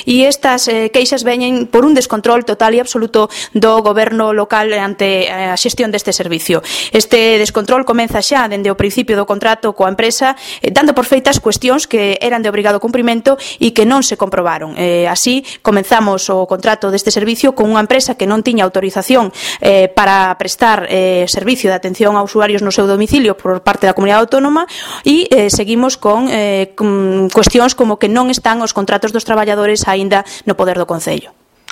E estas queixas veñen por un descontrol total e absoluto do goberno local ante a xestión deste servicio. Este descontrol comeza xa dende o principio do contrato coa empresa, dando por feitas cuestións que eran de obrigado cumprimento e que non se comprobaron. Así, comenzamos o contrato deste servicio con unha empresa que non tiña autorización para prestar servicio de atención a usuarios no seu domicilio por parte da Comunidade Autónoma e seguimos con cuestións como que non están os contratos dos traballadores aínda no poder do Concello.